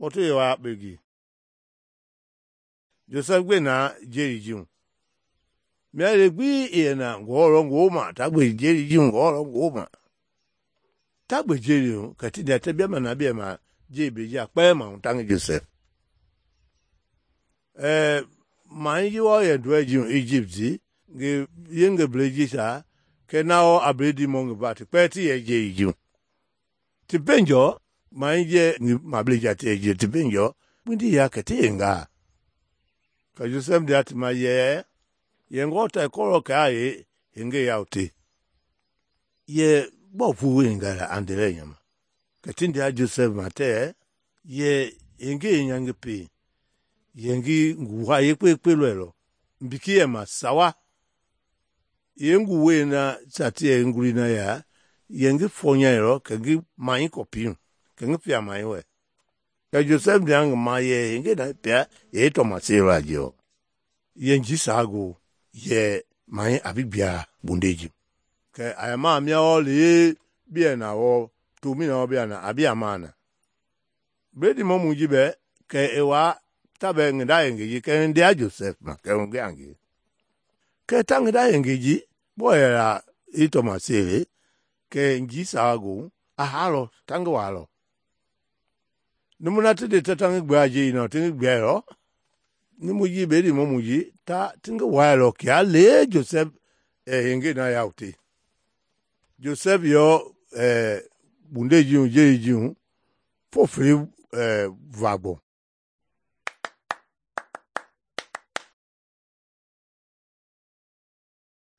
kpɔtu ye wa kpegi Joseph gbe na jeli ji hu mia le gbi i yɛ na ngɔwɔ lɔ ngoma ta gbe jeli ji hu ngɔwɔ lɔ ngoma ta gbe jeli hu kɛ ti dia tɛ bia ma na bia ma jeli be ja kpɛ ma ta ngi Joseph mai ji wa yɛ dɔɛ ji hu Egypt zi nge yenge ble ji sa kɛ na o abledi mo ngi ba ti kpɛ ti yɛ jeli ji hu ti benjɔ mai je ngi ma ble ja ti yɛ je ti benjɔ kpindi ya kɛ ti yenga ka Joseph dia ti ma yɛ ngɔ ta kɔrɔ kɛ a ye yenge ya te ye bo fu yenga la andele nyama kɛ ti dia Joseph ma tɛ ye yenge nyangi pe yengi nguwa ye kpe lɔ mbiki ye ma sawa yengu we na sa ti ye nguri na ya yengi fonya yɔ kɛ ngi mai kɔpi kɛ ngi pia mai wɛ kɛ Joseph dia ngi ma ye yenge na pia ye tɔma se ra jɔ yenji sa go ye mai abi bia bundeji kɛ a ma mia o le bia na o to mi na o bia na abia mana bledi mo mu ji bɛ kɛ e wa ta bɛ ngi da yenge ji kɛ ndia Joseph ma kɛ ngi angi kɛ ta ngi da yenge ji bo ye la i tɔma se le kɛ nji sa go a halɔ ta ngi wa lɔ numu na ti de ta ngi gbe aje na ti ngi gbe lɔ ni mu ji be di mo mu ji ta ti ngi wa lɔ kia le Joseph yenge na ya te Joseph yo bunde ji hu je ji hu fo fri vagbɔ